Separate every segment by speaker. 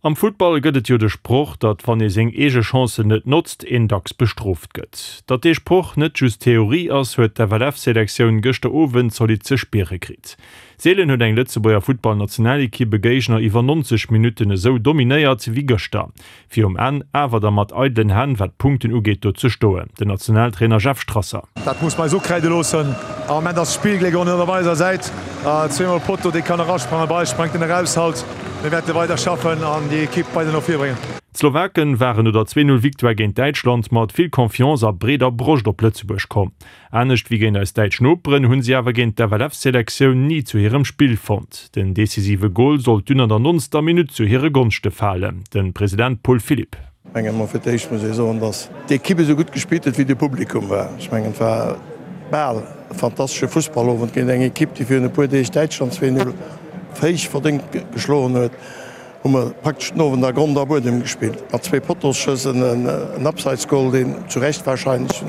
Speaker 1: Am Futtball gëtt et jo de Sproch, datt wann ee seng eege Chancen net notzt, een dacks bestrooft gëtt. Datt dee Sproch net just Theorie ass, huet d'FLF-Selektioun gëschter Owend zolidd ze spiere kritt. Seelen huet eng Lëtzebuerger Futtballnationalekipp e Géigner iwwer 90 Minutten esou dominéiert wéi gëschter. Fir um Enn awer da mat eidelen Hänn, wat d'Punkten ugeet, do ze stoen. Den Nationaltrainer Jeff Strasser.
Speaker 2: Dat muss mer eis ukräide loossen. Am Moment ass d'Spillgléck och net op eiser Säit. Zweemol Potto, dee kann erasprangen, bei eis sprangt en eraus. Halt, mir wäerte weider schaffen an déi Ekipp weider no vir bréngen.
Speaker 1: D'Slowaken waren no der 2, 0 Victoire géint Däitschland mat vill Confiance a breeder Broscht op Lëtzebuerg komm. Anescht wéi géint eis däitsch Noperen hunn si awer géint d'FLF-Selektioun ni zu hirem Spill fonnt. Den decisive Gol sollt dunn an der 90. Minutt zu hire Gonschte falen. De President Paul Philipp.
Speaker 3: Ech mengen emol fir d'éischt muss ee soen, datt d'Ekipp esou gutt gespillt huet wéi de Publikum war. Ech mengen et war bal e fantastesche Fussballowend géint eng Ekipp, déi virun e puer Deeg Däitschland 2, 0 héich verdéngt geschloen huet. Hu mer praktesch den Owend a Grond a Buedem gespillt, mat zwee Potosschëss, en Abseitsgol, deen zu Recht warscheinlech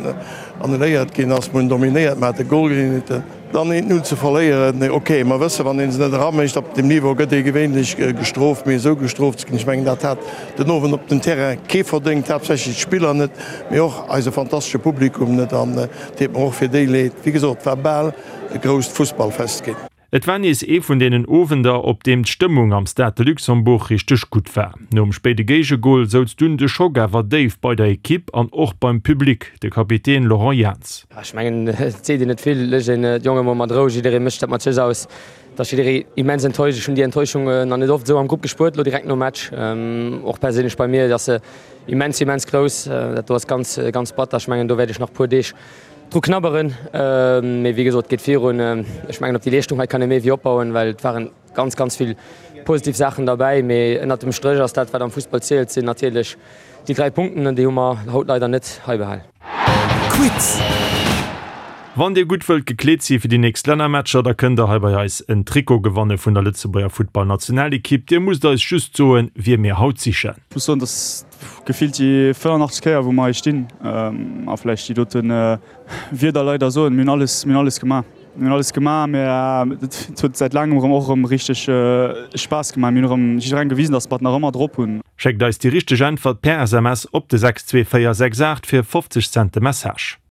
Speaker 3: annuléiert ginn ass. Mer hunn dominéiert, mer hate Golgeleeënheeten. Dann eent Null ze verléieren, ok, mer wëssen, wann ee se net eramécht op deem Niveau, gëtt ee gewéinlech gestrooft. Mee esou gestrooft ze ginn, ech mengen, dat hat den Owend op dem Terrain kee verdéngt, haaptsächlech d'Spiller net, mee och eise fantastesche Publikum net. An et deet mer och fir déi leed. Wéi gesot, et war bal e grousst Fussballfest ginn.
Speaker 1: Et war nees ee vun deenen Owender, op deem d'Stëmmung am Stade de Luxembourg richteg gutt war. Nom spéide Géigegol souz dunn de Schock awer déif bei der Ekipp an och beim Public, de Kapitän Laurent Jans.
Speaker 4: Ech mengen, et seet een net vill, léisst een d'Jonge mol mat Rou, jidderee mécht dat mat sech aus. Et ass jidderee immens enttäuscht. Ech hunn déi Enttäuschung nach net oft esou am Grupp gespuert, elo direkt nom Match. Och perséinlech bei mir ass se immens, immens grouss. Dat do ass ganz, ganz batter. Ech mengen, do wäert ech nach e puer Deeg Dru knabberen, mee wéi gesot, et geet virun. Ech mengen, op déi Leeschtung hei kann ee méi wéi opbauen, well et waren ganz, ganz vill positiv Saachen derbäi. Mee ënnert dem Stréch ass dat, wat am Fussball zielt, sinn natierlech déi 3 Punkten an déi hu mer haut leider net hei behal.
Speaker 1: Quiz! Wann dir gutt wëllt gekleet si fir déi nächst Lännermatcher, da kënnt der hei bei eis en Trikot gewanne vun der Lëtzebuerger Futtballnationalekipp. Dir musst eis just soen, wie mir haut sichen.
Speaker 5: Ech muss soen, dass Gefillt déi 85 Kéier wou mer hei stinn a vläicht déi dote Wierder leider soen, mir hunn alles, mir hunn alles gemaach, mir hunn alles gemaach, mä et huet säit laangem erëm och erëm richteg Spaass gemaach. Mir hunn erëm jidderengem gewisen, datt mer et nach ëmmer drop hunn.
Speaker 1: Schéckt eis déi richteg Äntwert per SMS op de 62468 fir 50 Cent de Message.